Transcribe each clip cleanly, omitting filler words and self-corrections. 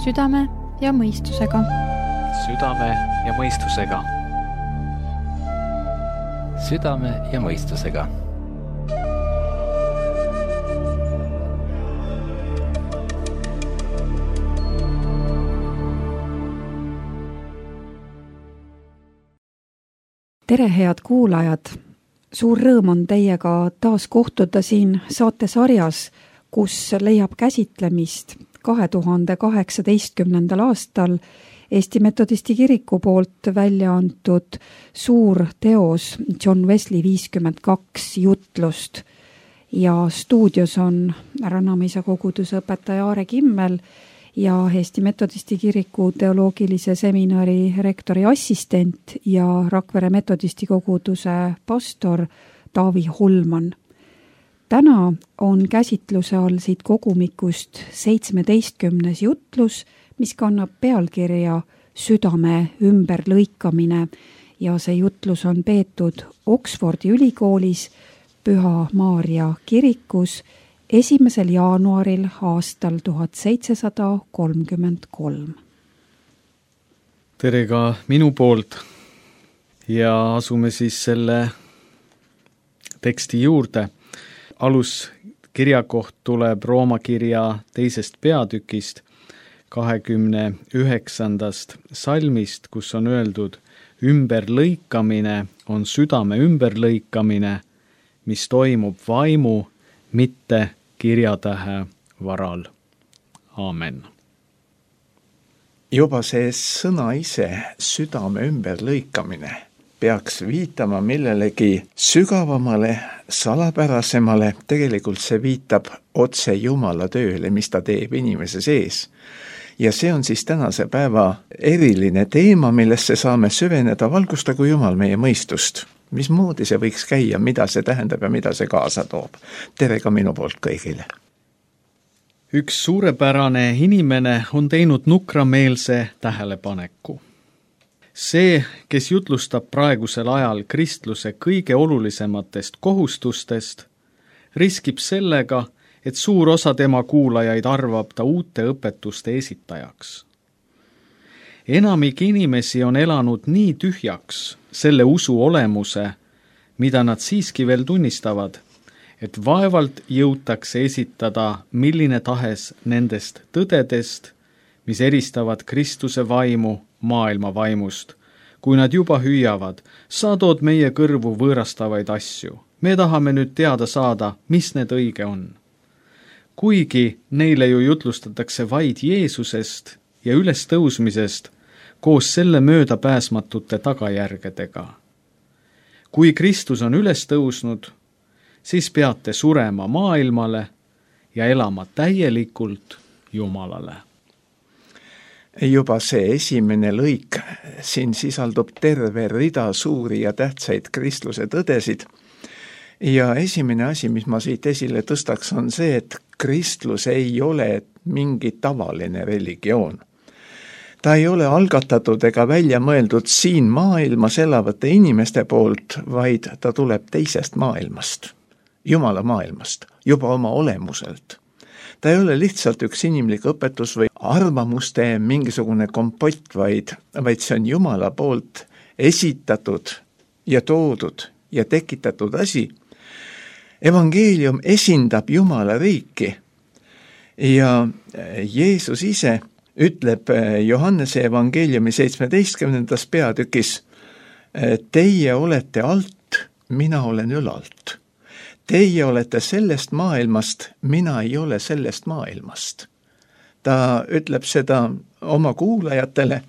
Südame ja mõistusega. Südame ja mõistusega. Südame ja mõistusega. Tere, head kuulajad! Suur rõõm on teiega taas kohtuda siin saatesarjas, kus leiab käsitlemist 2018. aastal Eesti Metodisti Kiriku poolt välja antud suur teos John Wesley 52 jutlust. Ja stuudios on Rannamäisa koguduse õpetaja Aare Kimmel ja Eesti Metodisti Kiriku teoloogilise seminari rektori assistent ja Rakvere Metodisti koguduse pastor Taavi Holman. Täna on käsitluse all siit kogumikust 17. jutlus, mis kannab pealkirja Südame ümberlõikamine ja see jutlus on peetud Oxfordi ülikoolis Püha Maarja kirikus 1. jaanuaril aastal 1733. Tere ka minu poolt ja asume siis selle teksti juurde. Aluskirjakoht tuleb Rooma kirja 2. peatükist 29. salmist, kus on öeldud: ümberlõikamine on südame ümberlõikamine, mis toimub vaimu, mitte kirjatähe varal. Aamen. Juba see sõna ise, südame ümberlõikamine, peaks viitama millelegi sügavamale, salapärasemale. Tegelikult see viitab otse Jumala tööle, mis ta teeb inimese sees. Ja see on siis tänase päeva eriline teema, millesse saame süveneda. Valgustagu Jumal meie mõistust. Mismoodi see võiks käia, mida see tähendab ja mida see kaasa toob. Tere ka minu poolt kõigile. Üks suurepärane inimene on teinud nukrameelse tähelepaneku. See, kes jutlustab praegusel ajal kristluse kõige olulisematest kohustustest, riskib sellega, et suur osa tema kuulajaid arvab ta uute õpetuste esitajaks. Enamik inimesi on elanud nii tühjaks selle usu olemuse, mida nad siiski veel tunnistavad, et vaevalt jõutakse esitada milline tahes nendest tõdedest, mis eristavad Kristuse vaimu maailma vaimust, kui nad juba hüüavad: sa tood meie kõrvu võõrastavaid asju. Me tahame nüüd teada saada, mis need õige on. Kuigi neile ju jutlustatakse vaid Jeesusest ja ülestõusmisest koos selle möödapääsmatute tagajärgedega. Kui Kristus on ülestõusnud, siis peate surema maailmale ja elama täielikult Jumalale. Juba see esimene lõik, siin sisaldub terve rida suuri ja tähtsaid kristluse tõdesid. Ja esimene asi, mis ma siit esile tõstaks, on see, et kristlus ei ole mingi tavaline religioon. Ta ei ole algatatud ega välja mõeldud siin maailmas elavate inimeste poolt, vaid ta tuleb teisest maailmast, Jumala maailmast, juba oma olemuselt. Ta ei ole lihtsalt üks inimlik õpetus või arvamuste mingisugune kompott, vaid see on Jumala poolt esitatud ja toodud ja tekitatud asi. Evangeelium esindab Jumala riiki ja Jeesus ise ütleb Johannese evangeeliumi 17. peatükis: teie olete alt, mina olen ülalt. Teie olete sellest maailmast, mina ei ole sellest maailmast. Ta ütleb seda oma kuulajatele,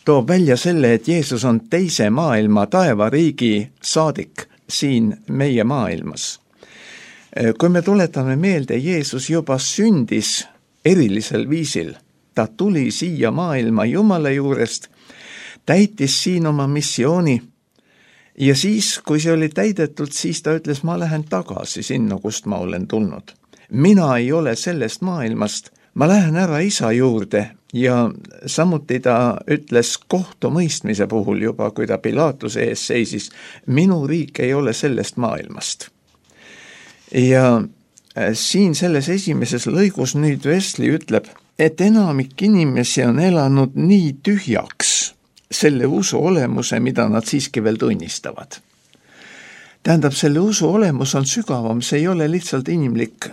toob välja selle, et Jeesus on teise maailma taevariigi saadik siin meie maailmas. Kui me tuletame meelde, Jeesus juba sündis erilisel viisil. Ta tuli siia maailma Jumala juurest, täitis siin oma missiooni ja siis, kui see oli täidetud, siis ta ütles: ma lähen tagasi sinna, kust ma olen tulnud. Mina ei ole sellest maailmast, ma lähen ära Isa juurde. Ja samuti ta ütles kohtumõistmise puhul juba, kui ta Pilaatuse ees seisis: minu riik ei ole sellest maailmast. Ja siin selles esimeses lõigus nüüd Wesley ütleb, et enamik inimesi on elanud nii tühjaks selle usu olemuse, mida nad siiski veel tunnistavad. Tähendab, selle usu olemus on sügavam, see ei ole lihtsalt inimlik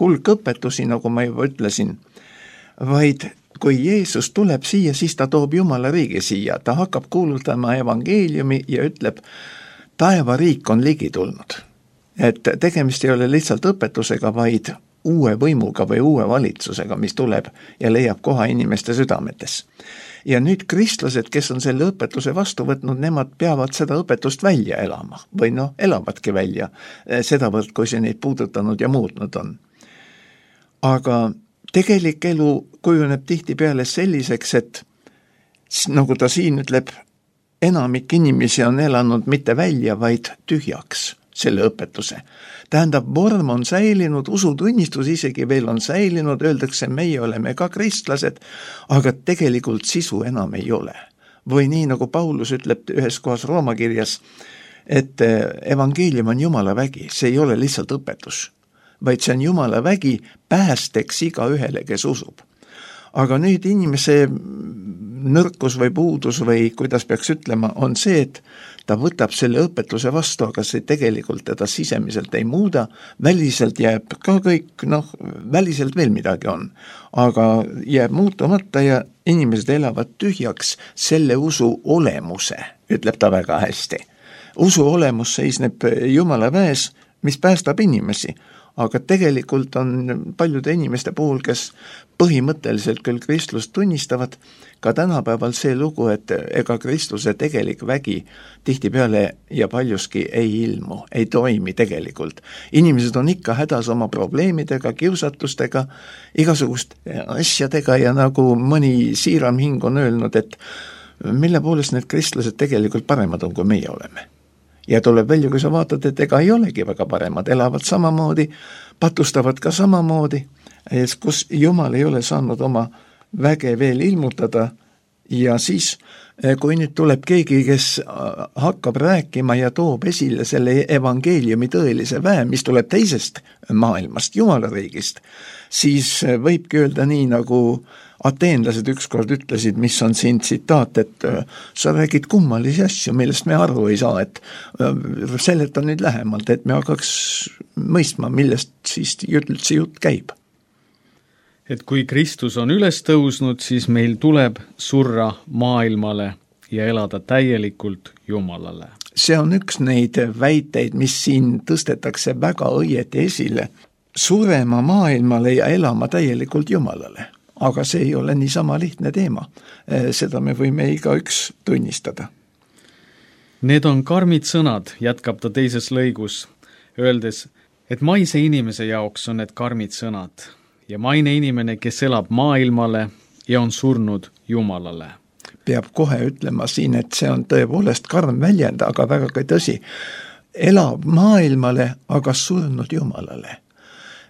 hulk õpetusi, nagu ma juba ütlesin, vaid kui Jeesus tuleb siia, siis ta toob Jumala riigi siia, ta hakkab kuulutama evangeeliumi ja ütleb, taevariik on ligi tulnud. Et tegemist ei ole lihtsalt õpetusega, vaid uue võimuga või uue valitsusega, mis tuleb ja leiab koha inimeste südametes. Ja nüüd kristlased, kes on selle õpetuse vastu võtnud, nemad peavad seda õpetust välja elama või elavadki välja sedavõrd, kui see neid puudutanud ja muutnud on. Aga tegelik elu kujuneb tihtipeale selliseks, et nagu ta siin ütleb, enamik inimesi on elanud mitte välja, vaid tühjaks selle õpetuse. Tähendab, vorm on säilinud, usutunnistus isegi veel on säilinud, öeldakse, meie oleme ka kristlased, aga tegelikult sisu enam ei ole. Või nii, nagu Paulus ütleb ühes kohas Rooma kirjas, et evangeelium on Jumala vägi, see ei ole lihtsalt õpetus, vaid see on Jumala vägi päästeks iga ühele, kes usub. Aga nüüd inimese nõrkus või puudus või kuidas peaks ütlema, on see, et ta võtab selle õpetuse vastu, aga see tegelikult teda sisemiselt ei muuda, väliselt jääb ka kõik, väliselt veel midagi on, aga jääb muutumata ja inimesed elavad tühjaks selle usu olemuse, ütleb ta väga hästi. Usu olemus seisneb Jumala väes, mis päästab inimesi, aga tegelikult on paljude inimeste puhul, kes põhimõtteliselt küll kristlust tunnistavad, ka tänapäeval see lugu, et ega kristluse tegelik vägi tihtipeale ja paljuski ei ilmu, ei toimi tegelikult. Inimesed on ikka hädas oma probleemidega, kiusatustega, igasugust asjadega ja nagu mõni siiram hing on öelnud, et mille poolest need kristlased tegelikult paremad on, kui meie oleme. Ja tuleb välja, kui sa vaatad, et ega ei olegi väga paremad, elavad samamoodi, patustavad ka samamoodi, kus Jumal ei ole saanud oma väge veel ilmutada ja siis, kui nüüd tuleb keegi, kes hakkab rääkima ja toob esile selle evangeeliumi tõelise väe, mis tuleb teisest maailmast, Jumala riigist, siis võibki öelda nii, nagu ateenlased ükskord ütlesid, mis on siin tsitaat, et sa räägid kummalisi asju, millest me aru ei saa, et seleta nüüd lähemalt, et me hakkaks mõistma, millest siis üldse jutt käib. Et kui Kristus on üles tõusnud, siis meil tuleb surra maailmale ja elada täielikult Jumalale. See on üks neid väiteid, mis siin tõstetakse väga õieti esile. Surema maailmale ja elama täielikult Jumalale. Aga see ei ole niisama lihtne teema. Seda me võime igaüks tunnistada. Need on karmid sõnad, jätkab ta teises lõigus, öeldes, et maise inimese jaoks on need karmid sõnad ja maine inimene, kes elab maailmale ja on surnud Jumalale. Peab kohe ütlema siin, et see on tõepoolest karm väljend, aga väga ka tõsi. Elab maailmale, aga surnud Jumalale.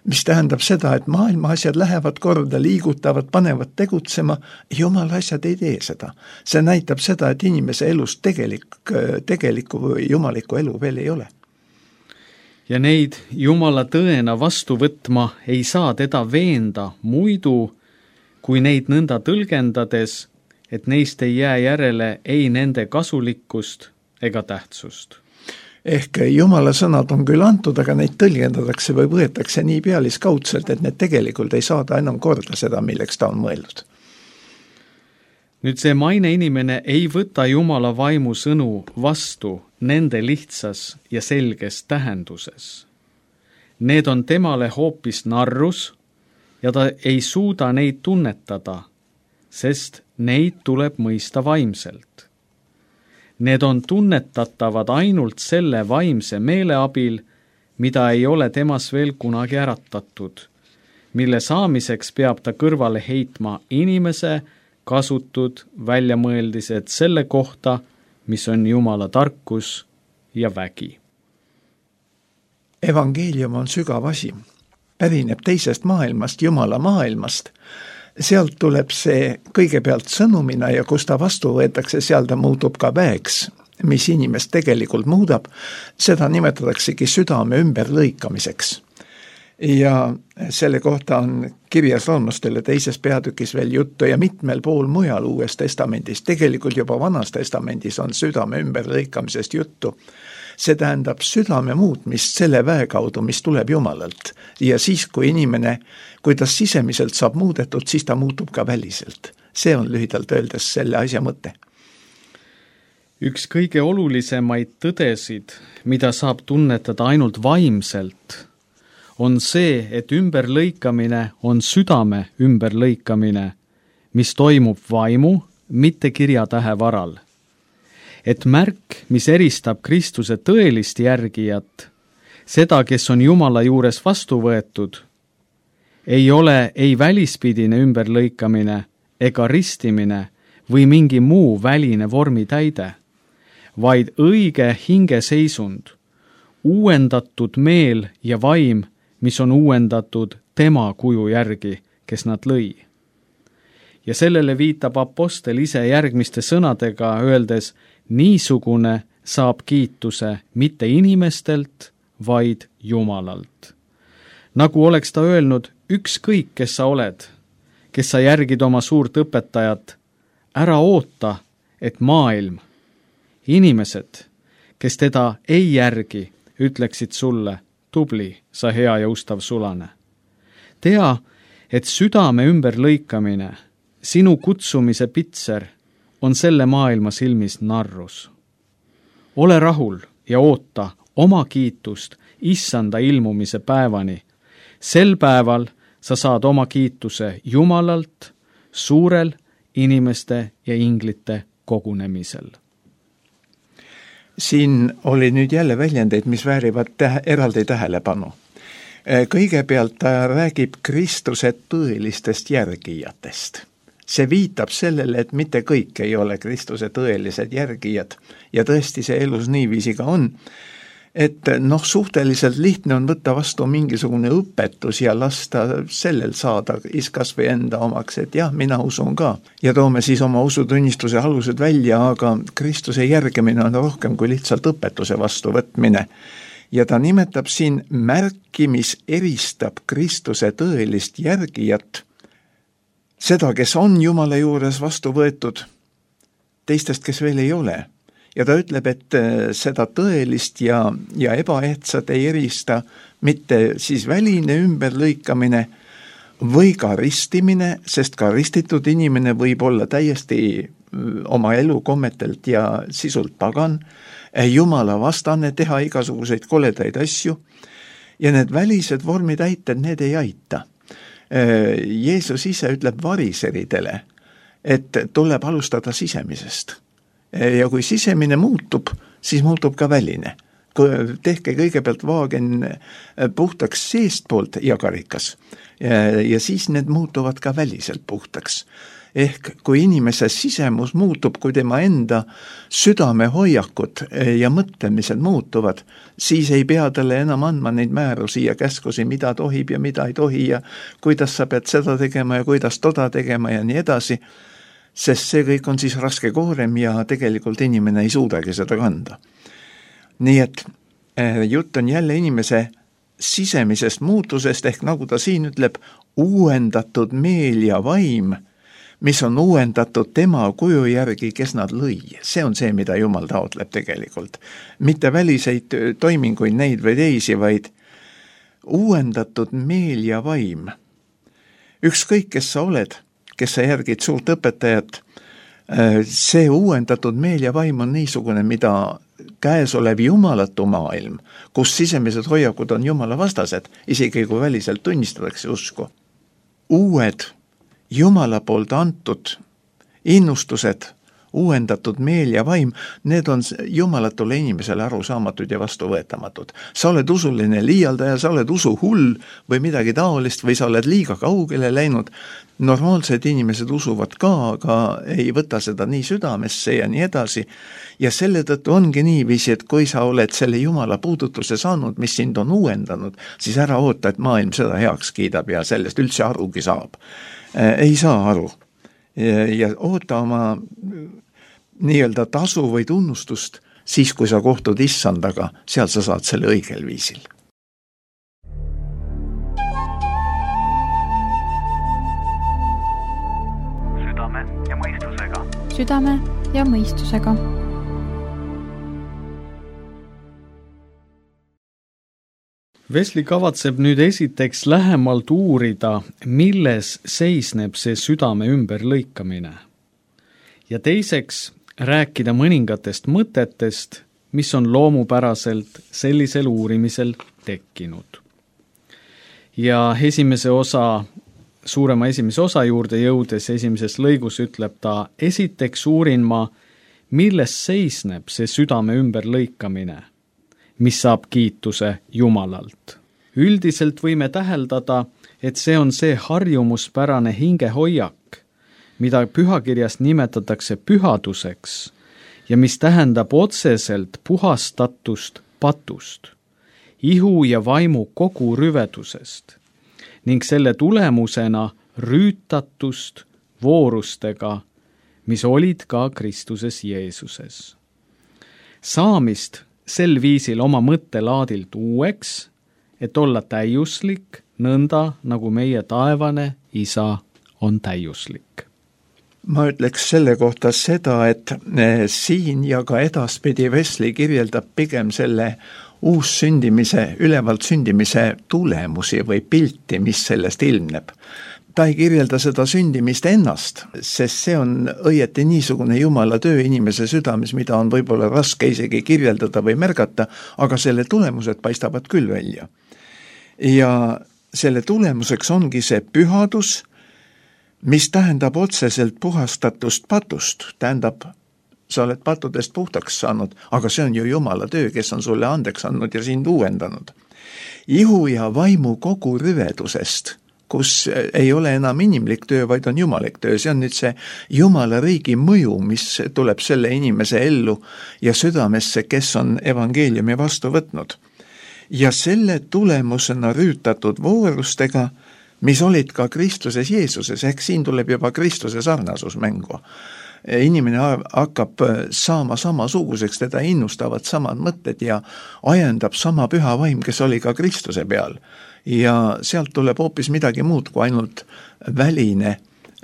Mis tähendab seda, et maailma asjad lähevad korda, liigutavad, panevad tegutsema, Jumala asjad ei tee seda. See näitab seda, et inimese elus tegelikku või jumalikku elu veel ei ole. Ja neid Jumala tõena vastu võtma ei saa teda veenda muidu, kui neid nõnda tõlgendades, et neist ei jää järele ei nende kasulikkust ega tähtsust. Ehk Jumala sõnad on küll antud, aga neid tõlgendatakse või võetakse nii pealiskaudselt, et need tegelikult ei saada enam korda seda, milleks ta on mõeldud. Nüüd see maine inimene ei võta Jumala vaimu sõnu vastu nende lihtsas ja selges tähenduses. Need on temale hoopis narrus ja ta ei suuda neid tunnetada, sest neid tuleb mõista vaimselt. Need on tunnetatavad ainult selle vaimse meele abil, mida ei ole temas veel kunagi äratatud, mille saamiseks peab ta kõrvale heitma inimese kasutud väljamõeldised selle kohta, mis on Jumala tarkus ja vägi. Evangeelium on sügav asi, pärineb teisest maailmast, Jumala maailmast. Sealt tuleb see kõigepealt sõnumina ja kus ta vastu võetakse, seal ta muutub ka väeks, mis inimest tegelikult muudab. Seda nimetataksegi südame ümberlõikamiseks. ja selle kohta on kirjas roomlastele 2. peatükis veel juttu ja mitmel pool mujal Uues Testamendis. Tegelikult juba Vanas Testamendis on südame ümberlõikamisest juttu. See tähendab südame muutmist selle väe kaudu, mis tuleb Jumalalt. Ja siis, kui inimene, kui ta sisemiselt saab muudetud, siis ta muutub ka väliselt. See on lühidalt öeldes selle asja mõte. Üks kõige olulisemaid tõdesid, mida saab tunnetada ainult vaimselt, on see, et ümberlõikamine on südame ümberlõikamine, mis toimub vaimu, mitte kirjatähe varal. Et märk, mis eristab Kristuse tõelist järgijat, seda, kes on Jumala juures vastu võetud, ei ole ei välispidine ümberlõikamine ega ristimine või mingi muu väline vormitäide, vaid õige hingeseisund, uuendatud meel ja vaim, mis on uuendatud tema kuju järgi, kes nad lõi. Ja sellele viitab apostel ise järgmiste sõnadega, öeldes, niisugune saab kiituse mitte inimestelt, vaid Jumalalt. Nagu oleks ta öelnud, ükskõik, kes sa oled, kes sa järgid oma suurt õpetajat, ära oota, et maailm, inimesed, kes teda ei järgi, ütleksid sulle, tubli, sa hea ja ustav sulane. Tea, et südame ümberlõikamine, sinu kutsumise pitser, on selle maailma silmis narrus. Ole rahul ja oota oma kiitust issanda ilmumise päevani. Sel päeval sa saad oma kiituse Jumalalt suurel inimeste ja inglite kogunemisel. Siin oli nüüd jälle väljendeid, mis väärivad eraldi tähelepanu. Kõigepealt ta räägib Kristuse tõelistest järgijatest. See viitab sellele, et mitte kõik ei ole Kristuse tõelised järgijad ja tõesti see elus niiviisi ka on, et suhteliselt lihtne on võtta vastu mingisugune õpetus ja lasta sellel saada kas või enda omaks, et jah, mina usun ka. Ja toome siis oma usutunnistuse alused välja, aga Kristuse järgimine on rohkem kui lihtsalt õpetuse vastuvõtmine. Ja ta nimetab siin märki, mis eristab Kristuse tõelist järgijat, seda, kes on Jumala juures vastu võetud, teistest, kes veel ei ole. Ja ta ütleb, et seda tõelist ja ebaehtsat ei erista mitte siis väline ümberlõikamine või ka ristimine, sest ka ristitud inimene võib olla täiesti oma elukommetelt ja sisult pagan, Jumala vastane, teha igasuguseid koledaid asju ja need välised vormitäited, need ei aita. Jeesus ise ütleb variseridele, et tuleb alustada sisemisest. Ja kui sisemine muutub, siis muutub ka väline. Tehke kõigepealt vaagen puhtaks seestpoolt ja karikas ja siis need muutuvad ka väliselt puhtaks. Ehk kui inimese sisemus muutub, kui tema enda südamehoiakud ja mõtlemised muutuvad, siis ei pea talle enam andma neid määrusi ja käskusi, mida tohib ja mida ei tohi ja kuidas sa pead seda tegema ja kuidas toda tegema ja nii edasi, sest see kõik on siis raske koorem ja tegelikult inimene ei suudagi seda kanda. Nii et jutt on jälle inimese sisemisest muutusest, ehk nagu ta siin ütleb, uuendatud meel ja vaim, mis on uuendatud tema kuju järgi, kes nad lõi. See on see, mida Jumal taotleb tegelikult. Mitte väliseid toiminguid neid või teisi, vaid uuendatud meel ja vaim. Ükskõik, kes sa oled, kes sa järgid suurt õpetajat, see uuendatud meel ja vaim on niisugune, mida käesolev jumalatu maailm, kus sisemised hoiakud on Jumala vastased, isegi kui väliselt tunnistatakse usku. Uued Jumala poolt antud innustused, uuendatud meel ja vaim, need on jumalatule inimesele arusaamatud ja vastuvõetamatud. Sa oled usuline liialdaja, sa oled usuhull või midagi taolist või sa oled liiga kaugele läinud. Normaalsed inimesed usuvad ka, aga ei võta seda nii südamesse ja nii edasi. Ja selle tõttu ongi niiviisi, et kui sa oled selle Jumala puudutuse saanud, mis sind on uuendanud, siis ära oota, et maailm seda heaks kiidab ja sellest üldse arugi saab. Ei saa aru. Ja oota oma nii-öelda tasu või tunnustust siis, kui sa kohtud issandaga, seal sa saad selle õigel viisil. südame ja mõistusega. Wesley kavatseb nüüd esiteks lähemalt uurida, milles seisneb see südame ümberlõikamine. Ja teiseks rääkida mõningatest mõtetest, mis on loomupäraselt sellisel uurimisel tekkinud. Ja suurema esimese osa juurde jõudes esimeses lõigus ütleb ta, esiteks uurin ma, milles seisneb see südame ümberlõikamine, mis saab kiituse Jumalalt. Üldiselt võime täheldada, et see on see harjumuspärane hingehoiak, mida pühakirjas nimetatakse pühaduseks ja mis tähendab otseselt puhastatust patust, ihu ja vaimu kogu rüvedusest ning selle tulemusena rüütatust voorustega, mis olid ka Kristuses Jeesuses. Saamist sel viisil oma mõttelaadilt uueks, et olla täiuslik, nõnda nagu meie taevane Isa on täiuslik. Ma ütleks selle kohta seda, et siin ja ka edaspidi Wesley kirjeldab pigem selle uussündimise, ülevalt sündimise tulemusi või pilti, mis sellest ilmneb. Ta ei kirjelda seda sündimist ennast, sest see on õieti niisugune Jumala töö inimese südames, mida on võib-olla raske isegi kirjeldada või märgata, aga selle tulemused paistavad küll välja. Ja selle tulemuseks ongi see pühadus, mis tähendab otseselt puhastatust patust, tähendab, sa oled pattudest puhtaks saanud, aga see on ju Jumala töö, kes on sulle andeks andnud ja sind uuendanud. Ihu ja vaimu kogu rüvedusest, kus ei ole enam inimlik töö, vaid on jumalik töö. See on nüüd see Jumala riigi mõju, mis tuleb selle inimese ellu ja südamesse, kes on evangeeliumi vastu võtnud. Ja selle tulemusena rüütatud voorustega, mis olid ka Kristuses Jeesuses, ehk siin tuleb juba Kristuse sarnasus mängu. Inimene hakkab saama samasuguseks, teda innustavad samad mõtted ja ajendab sama püha vaim, kes oli ka Kristuse peal. Ja sealt tuleb hoopis midagi muud kui ainult väline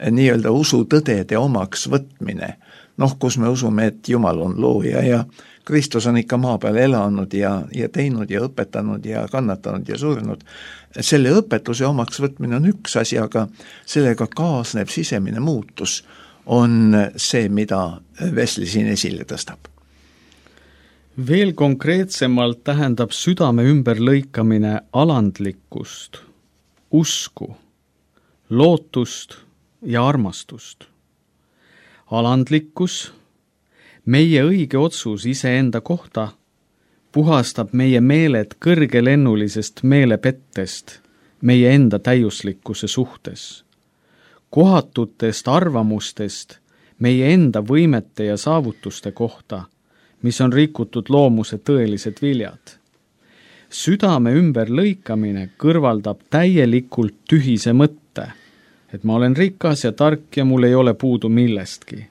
nii-öelda usutõdede omaks võtmine. Kus me usume, et Jumal on looja ja Kristus on ikka maa peal elanud ja teinud ja õpetanud ja kannatanud ja surnud. Selle õpetuse omaks võtmine on üks asi, aga sellega kaasneb sisemine muutus on see, mida Wesley siin esile tõstab. Veel konkreetsemalt tähendab südame ümberlõikamine alandlikkust, usku, lootust ja armastust. Alandlikkus, meie õige otsus iseenda kohta, puhastab meie meeled kõrgelennulisest meelepettest meie enda täiuslikkuse suhtes, kohatutest arvamustest meie enda võimete ja saavutuste kohta, mis on rikutud loomuse tõelised viljad. Südame ümberlõikamine kõrvaldab täielikult tühise mõtte, et ma olen rikas ja tark ja mul ei ole puudu millestki,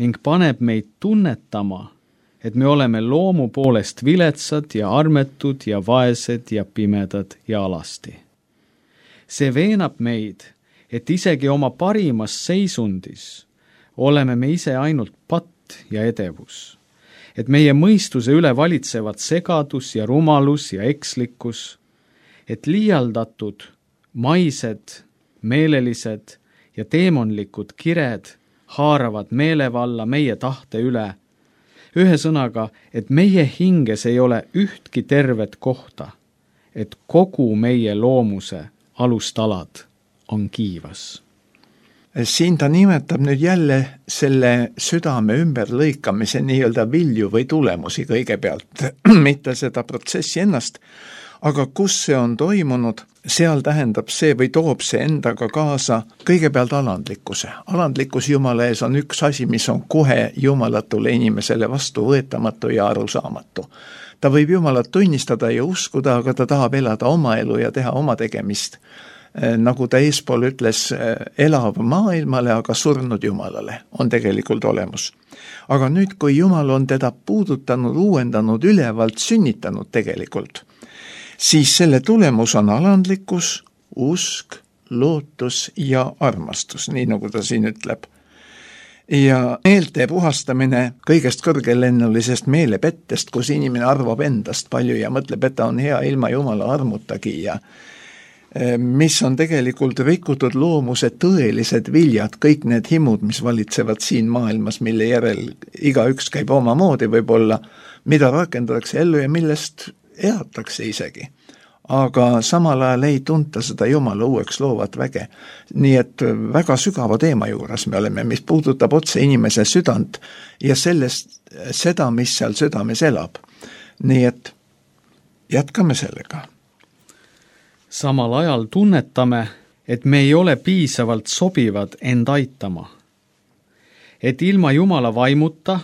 ning paneb meid tunnetama, et me oleme loomu poolest viletsad ja armetud ja vaesed ja pimedad ja alasti. See veenab meid, et isegi oma parimas seisundis oleme me ise ainult patt ja edevus, et meie mõistuse üle valitsevad segadus ja rumalus ja ekslikkus, et liialdatud, maised, meelelised ja teemonlikud kired haaravad meelevalla meie tahte üle. Ühesõnaga, et meie hinges ei ole ühtki tervet kohta, et kogu meie loomuse alustalad on kiivas. Siin ta nimetab nüüd jälle selle südame ümberlõikamise nii-öelda vilju või tulemusi kõigepealt, mitte seda protsessi ennast, aga kus see on toimunud, seal tähendab see või toob see endaga kaasa kõigepealt alandlikkuse. Alandlikkus Jumala ees on üks asi, mis on kohe jumalatule inimesele vastuvõetamatu ja arusaamatu. Ta võib Jumalat tunnistada ja uskuda, aga ta tahab elada oma elu ja teha oma tegemist. Nagu ta eespool ütles, elav maailmale, aga surnud Jumalale on tegelikult olemus. Aga nüüd, kui Jumal on teda puudutanud, uuendanud, ülevalt sünnitanud tegelikult, siis selle tulemus on alandlikkus, usk, lootus ja armastus, nii nagu ta siin ütleb. Ja meelte puhastamine kõigest kõrgelennulisest meelepettest, kus inimene arvab endast palju ja mõtleb, et ta on hea ilma Jumala armutagi ja mis on tegelikult rikutud loomuse tõelised viljad, kõik need himud, mis valitsevad siin maailmas, mille järel igaüks käib omamoodi võib-olla, mida rakendatakse ellu ja millest eatakse isegi. Aga samal ajal ei tunta seda Jumala uueks loovat väge. Nii et väga sügava teema juures me oleme, mis puudutab otse inimese südant ja seda, mis seal südames elab. Nii et jätkame sellega. Samal ajal tunnetame, et me ei ole piisavalt sobivad end aitama. Et ilma Jumala vaimuta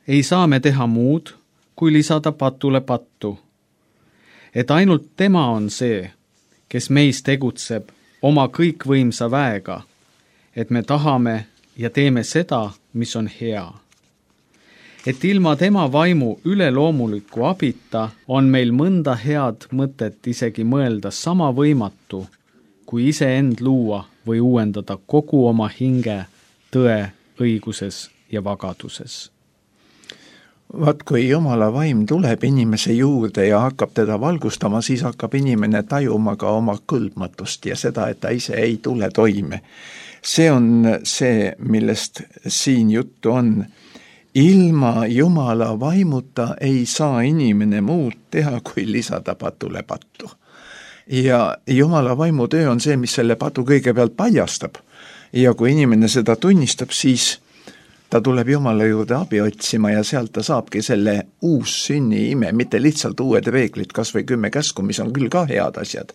ei saa me teha muud, kui lisada patule pattu. Et ainult tema on see, kes meis tegutseb oma kõikvõimsa väega, et me tahame ja teeme seda, mis on hea. Et ilma tema vaimu üleloomuliku abita on meil mõnda head mõtet isegi mõelda sama võimatu, kui iseend luua või uuendada kogu oma hinge tõe, õiguses ja vagaduses. Vaat kui Jumala vaim tuleb inimese juurde ja hakkab teda valgustama, siis hakkab inimene tajuma ka oma kõlbmatust ja seda, et ta ise ei tule toime. See on see, millest siin juttu on. Ilma Jumala vaimuta ei saa inimene muud teha, kui lisada patule pattu. Ja Jumala vaimu töö on see, mis selle patu kõigepealt paljastab. Ja kui inimene seda tunnistab, siis ta tuleb Jumala juurde abi otsima ja sealt ta saabki selle uus sünni ime, mitte lihtsalt uued reeglid, kas või 10 käsku, mis on küll ka head asjad,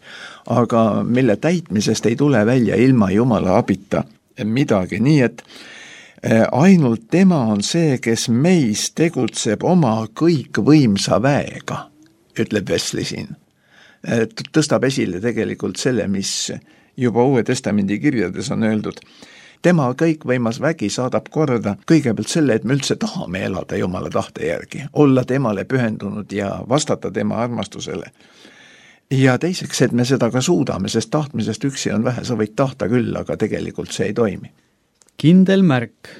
aga mille täitmisest ei tule välja ilma Jumala abita midagi. Nii et ainult tema on see, kes meis tegutseb oma kõikvõimsa väega, ütleb Wesley siin. Tõstab esile tegelikult selle, mis juba Uue Testamendi kirjades on öeldud. Tema kõikvõimas vägi saadab korda kõigepealt selle, et me üldse tahame elada Jumala tahte järgi, olla temale pühendunud ja vastata tema armastusele. Ja teiseks, et me seda ka suudame, sest tahtmisest üksi on vähe, sa võid tahta küll, aga tegelikult see ei toimi. Kindel märk,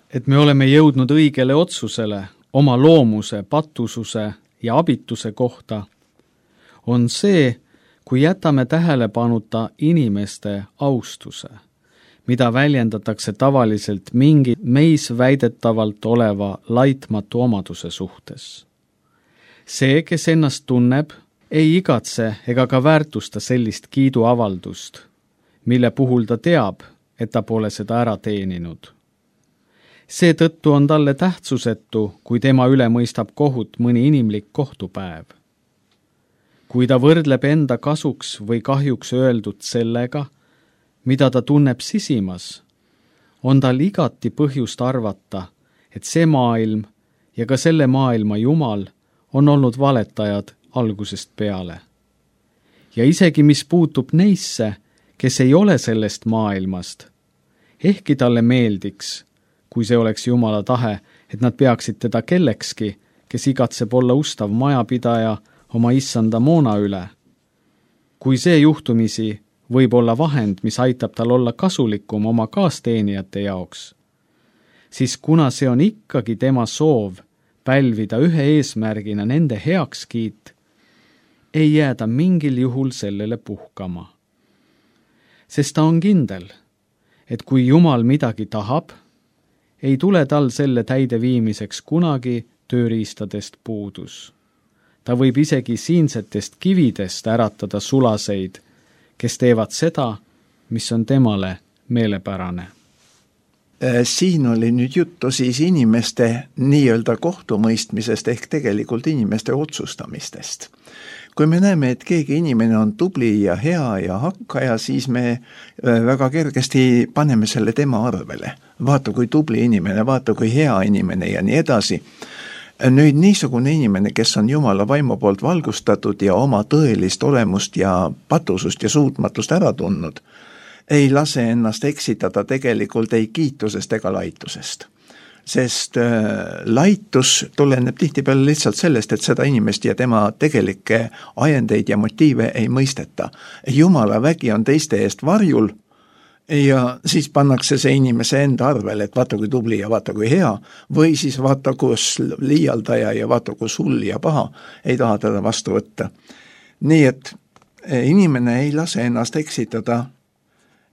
et me oleme jõudnud õigele otsusele oma loomuse, patususe ja abituse kohta, on see, kui jätame tähelepanuta inimeste austuse, mida väljendatakse tavaliselt mingi meis väidetavalt oleva laitmatu omaduse suhtes. See, kes ennast tunneb, ei igatse ega ka väärtusta sellist kiiduavaldust, mille puhul ta teab, et ta pole seda ära teeninud. Seetõttu on talle tähtsusetu, kui tema üle mõistab kohut mõni inimlik kohtupäev. Kui ta võrdleb enda kasuks või kahjuks öeldud sellega, mida ta tunneb sisimas, on tal igati põhjust arvata, et see maailm ja ka selle maailma Jumal on olnud valetajad algusest peale. Ja isegi mis puutub neisse, kes ei ole sellest maailmast, ehkki talle meeldiks, kui see oleks Jumala tahe, et nad peaksid teda kellekski, kes igatseb olla ustav majapidaja oma issanda moona üle. Kui see juhtumisi võib olla vahend, mis aitab tal olla kasulikum oma kaasteenijate jaoks, siis kuna see on ikkagi tema soov pälvida ühe eesmärgina nende heakskiit, ei jääda mingil juhul sellele puhkama. Sest ta on kindel, et kui Jumal midagi tahab, ei tule tal selle täideviimiseks kunagi tööriistadest puudus. Ta võib isegi siinsetest kividest äratada sulaseid, kes teevad seda, mis on temale meelepärane. Siin oli nüüd juttu siis inimeste nii-öelda kohtumõistmisest ehk tegelikult inimeste otsustamistest. Kui me näeme, et keegi inimene on tubli ja hea ja hakkaja, siis me väga kergesti paneme selle tema arvele. Vaata, kui tubli inimene, vaata, kui hea inimene ja nii edasi. Nüüd niisugune inimene, kes on Jumala vaimu poolt valgustatud ja oma tõelist olemust ja patusust ja suutmatust ära tundnud, ei lase ennast eksitada tegelikult ei kiitusest ega laitusest. Sest laitus tuleneb tihtipeale lihtsalt sellest, et seda inimest ja tema tegelikke ajendeid ja motiive ei mõisteta. Jumala vägi on teiste eest varjul ja siis pannakse see inimese enda arvele, et vaata kui tubli ja vaata kui hea, või siis vaata kus liialdaja ja vaata kus hull ja paha, ei taha teda vastu võtta. Nii et inimene ei lase ennast eksitada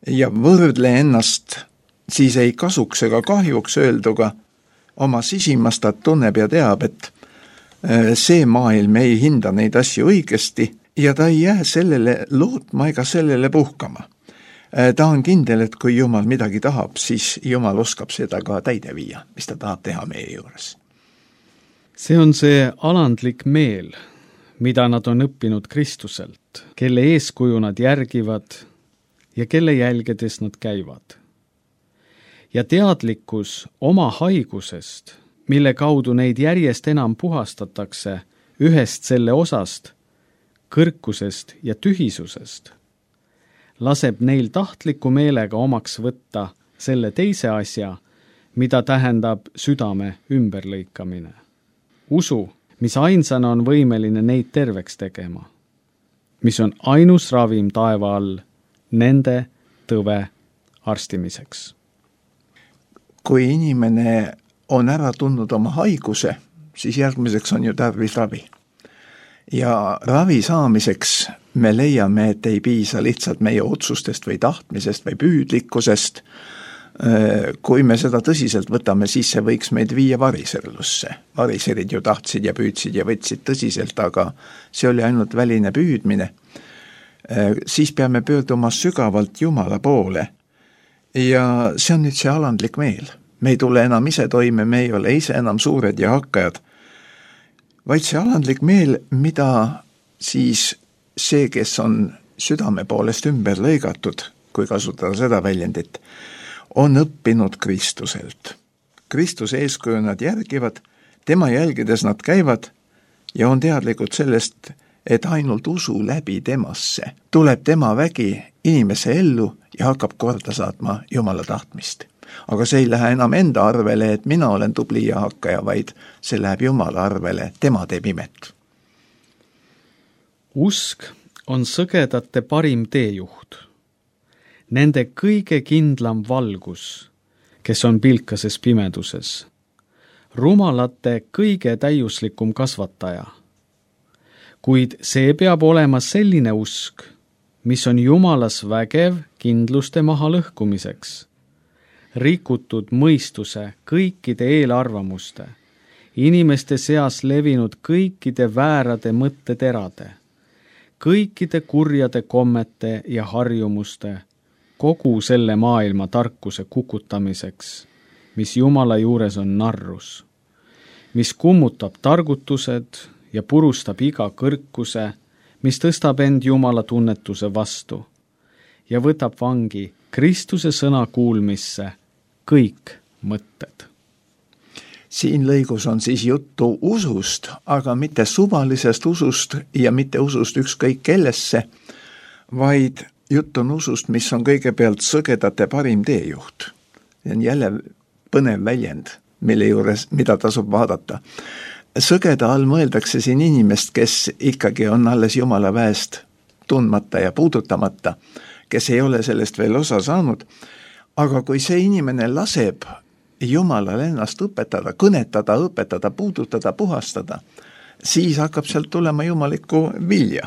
ja võrdle ennast siis ei kasuks ega kahjuks öelduga oma sisimast, ta tunneb ja teab, et see maailm ei hinda neid asju õigesti ja ta ei jää sellele lootma ega sellele puhkama. Ta on kindel, et kui Jumal midagi tahab, siis Jumal oskab seda ka täide viia, mis ta tahab teha meie juures. See on see alandlik meel, mida nad on õppinud Kristuselt, kelle eeskuju nad järgivad ja kelle jälgedes nad käivad. Ja teadlikkus oma haigusest, mille kaudu neid järjest enam puhastatakse ühest selle osast, kõrkusest ja tühisusest, laseb neil tahtliku meelega omaks võtta selle teise asja, mida tähendab südame ümberlõikamine. Usu, mis ainsana on võimeline neid terveks tegema, mis on ainus ravim taeva all nende tõve arstimiseks. Kui inimene on ära tundnud oma haiguse, siis järgmiseks on ju tarvis ravi. Ja ravi saamiseks me leiame, et ei piisa lihtsalt meie otsustest või tahtmisest või püüdlikkusest. Kui me seda tõsiselt võtame, siis see võiks meid viia variserlusse. Variserid ju tahtsid ja püüdsid ja võtsid tõsiselt, aga see oli ainult väline püüdmine. Siis peame pöörduma sügavalt Jumala poole. Ja see on nüüd see alandlik meel. Me ei tule enam ise toime, me ei ole ise enam suured ja hakkajad, vaid see alandlik meel, mida siis see, kes on südame poolest ümber lõigatud, kui kasutada seda väljendit, on õppinud Kristuselt. Kristuse eeskuju nad järgivad, tema jälgides nad käivad ja on teadlikud sellest, et ainult usu läbi temasse tuleb tema vägi inimese ellu ja hakkab korda saatma Jumala tahtmist. Aga see ei lähe enam enda arvele, et mina olen tubli ja hakkaja, vaid see läheb Jumala arvele, tema teeb imet. Usk on sõgedate parim teejuht. Nende kõige kindlam valgus, kes on pilkases pimeduses. Rumalate kõige täiuslikum kasvataja. Kuid see peab olema selline usk, mis on Jumalas vägev kindluste maha lõhkumiseks. Rikutud mõistuse kõikide eelarvamuste, inimeste seas levinud kõikide väärade mõtteterade, kõikide kurjade kommete ja harjumuste, kogu selle maailma tarkuse kukutamiseks, mis Jumala juures on narrus, mis kummutab targutused ja purustab iga kõrkuse, mis tõstab end Jumala tunnetuse vastu ja võtab vangi Kristuse sõna kuulmisse kõik mõtted. Siin lõigus on siis juttu usust, aga mitte suvalisest usust ja mitte usust ükskõik kellesse, vaid jutt on usust, mis on kõigepealt sõgedate parim teejuht. See on jälle põnev väljend, mille juures, mida tasub vaadata. Sõgeda all mõeldakse siin inimest, kes ikkagi on alles Jumala väest tundmata ja puudutamata, kes ei ole sellest veel osa saanud. Aga kui see inimene laseb Jumalal ennast õpetada, kõnetada, õpetada, puudutada, puhastada, siis hakkab sealt tulema jumalikku vilja.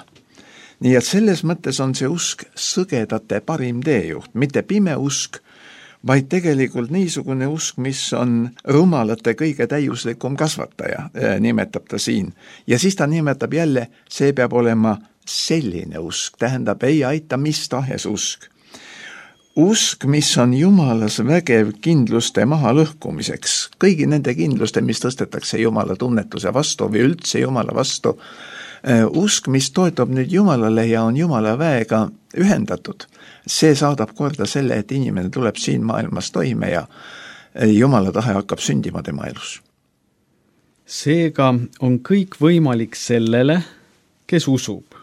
Nii et selles mõttes on see usk sõgedate parim teejuht, mitte pime usk, vaid tegelikult niisugune usk, mis on rumalate kõige täiuslikum kasvataja, nimetab ta siin. Ja siis ta nimetab jälle, see peab olema selline usk, tähendab ei aita mis tahes usk. Usk, mis on Jumalas vägev kindluste maha lõhkumiseks, kõigi nende kindluste, mis tõstetakse Jumala tunnetuse vastu või üldse Jumala vastu, usk, mis toetub nüüd Jumalale ja on Jumala väega ühendatud, see saadab korda selle, et inimene tuleb siin maailmas toime ja Jumala tahe hakkab sündima tema elus. Seega on kõik võimalik sellele, kes usub.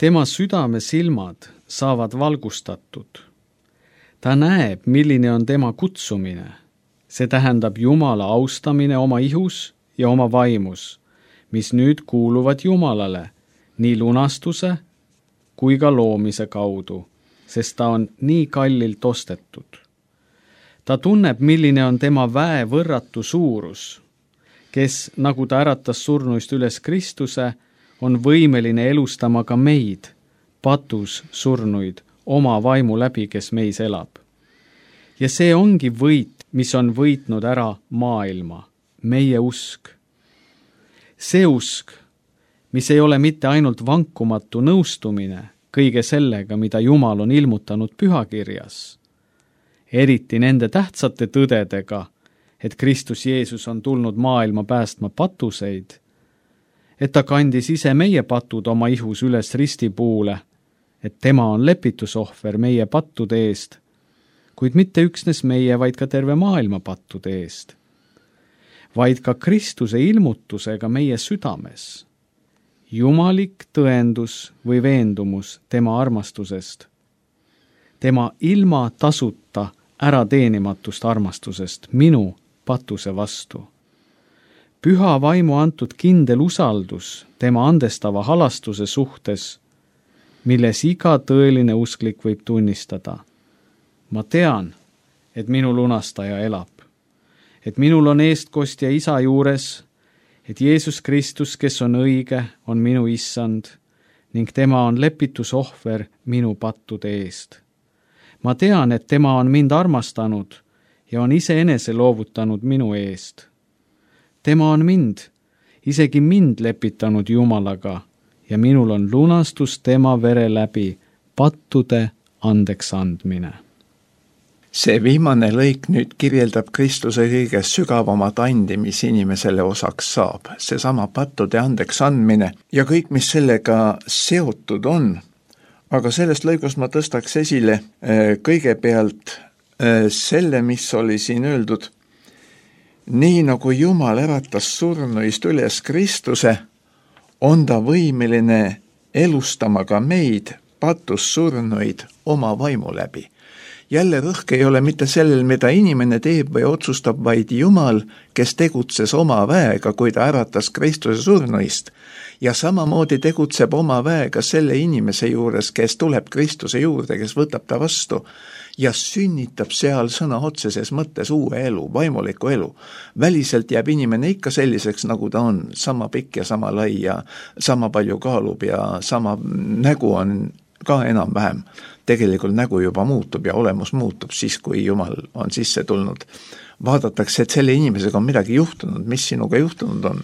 Tema südame silmad saavad valgustatud. Ta näeb, milline on tema kutsumine. See tähendab Jumala austamine oma ihus ja oma vaimus, mis nüüd kuuluvad Jumalale nii lunastuse kui ka loomise kaudu sest ta on nii kallilt ostetud. Ta tunneb, milline on tema väe võrratu suurus, kes, nagu ta äratas surnuist üles Kristuse, on võimeline elustama ka meid, patus surnuid, oma vaimu läbi, kes meis elab. Ja see ongi võit, mis on võitnud ära maailma, meie usk. See usk, mis ei ole mitte ainult vankumatu nõustumine kõige sellega, mida Jumal on ilmutanud pühakirjas, eriti nende tähtsate tõdedega, et Kristus Jeesus on tulnud maailma päästma patuseid, et ta kandis ise meie patud oma ihus üles ristipuule, et tema on lepitusohver meie pattude eest, kuid mitte üksnes meie, vaid ka terve maailma pattude eest, vaid ka Kristuse ilmutusega meie südames, jumalik tõendus või veendumus tema armastusest, tema ilma tasuta ärateenimatust armastusest minu patuse vastu. Püha vaimu antud kindel usaldus tema andestava halastuse suhtes, milles iga tõeline usklik võib tunnistada. Ma tean, et minu lunastaja elab, et minul on eestkostja isa juures, et Jeesus Kristus, kes on õige, on minu issand ning tema on lepitusohver minu pattude eest. Ma tean, et tema on mind armastanud ja on iseenese loovutanud minu eest. Tema on isegi mind lepitanud Jumalaga ja minul on lunastus tema vere läbi, pattude andeks andmine. See viimane lõik nüüd kirjeldab Kristuse kõige sügavamat andi, mis inimesele osaks saab. Seesama pattude andeks andmine ja kõik, mis sellega seotud on. Aga sellest lõigust ma tõstaks esile kõigepealt selle, mis oli siin öeldud. Nii nagu Jumal äratas surnuist üles Kristuse, on ta võimeline elustama ka meid, patus surnuid oma vaimu läbi. Jälle rõhk ei ole mitte sellel, mida inimene teeb või otsustab, vaid Jumal, kes tegutses oma väega, kui ta äratas Kristuse surnuist. Ja samamoodi tegutseb oma väega selle inimese juures, kes tuleb Kristuse juurde, kes võtab ta vastu ja sünnitab seal sõna otseses mõttes uue elu, vaimuliku elu. Väliselt jääb inimene ikka selliseks, nagu ta on, sama pikk ja sama lai ja sama palju kaalub ja sama nägu on ka enam-vähem. Tegelikult nägu juba muutub ja olemus muutub siis, kui Jumal on sisse tulnud. Vaadatakse, et selle inimesega on midagi juhtunud, mis sinuga juhtunud on.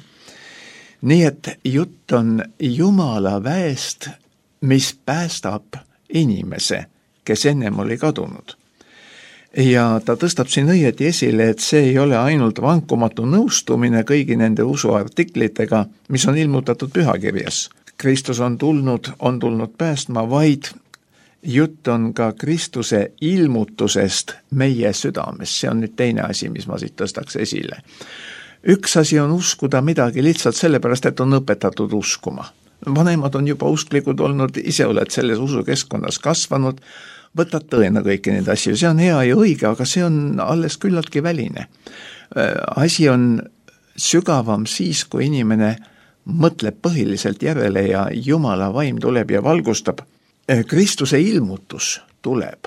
Nii et jutt on Jumala väest, mis päästab inimese, kes ennem oli kadunud. Ja ta tõstab siin õieti esile, et see ei ole ainult vankumatu nõustumine kõigi nende usuartiklitega, mis on ilmutatud pühakirjas. Kristus on tulnud päästma, vaid jutt on ka Kristuse ilmutusest meie südames. See on nüüd teine asi, mis ma siit tõstaks esile. Üks asi on uskuda midagi lihtsalt sellepärast, et on õpetatud uskuma. Vanemad on juba usklikud olnud, ise oled selles usukeskkonnas kasvanud, võtad tõena kõiki neid asju. See on hea ja õige, aga see on alles küllaltki väline. Asi on sügavam siis, kui inimene mõtleb põhiliselt järele ja Jumala vaim tuleb ja valgustab. Kristuse ilmutus tuleb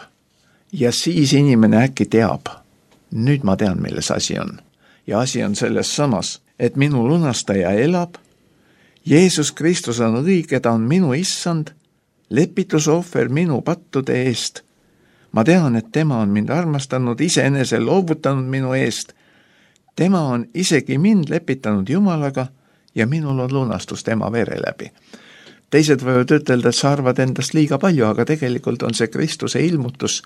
ja siis inimene äkki teab. Nüüd ma tean, milles asi on. Ja asi on selles samas, et minu lunastaja elab, Jeesus Kristus on õige, ta on minu issand, lepitusohver minu pattude eest. Ma tean, et tema on mind armastanud, iseenese loovutanud minu eest. Tema on isegi mind lepitanud Jumalaga ja minul on lunastus tema vere läbi. Teised võivad ütelda, et sa arvad endast liiga palju, aga tegelikult on see Kristuse ilmutus,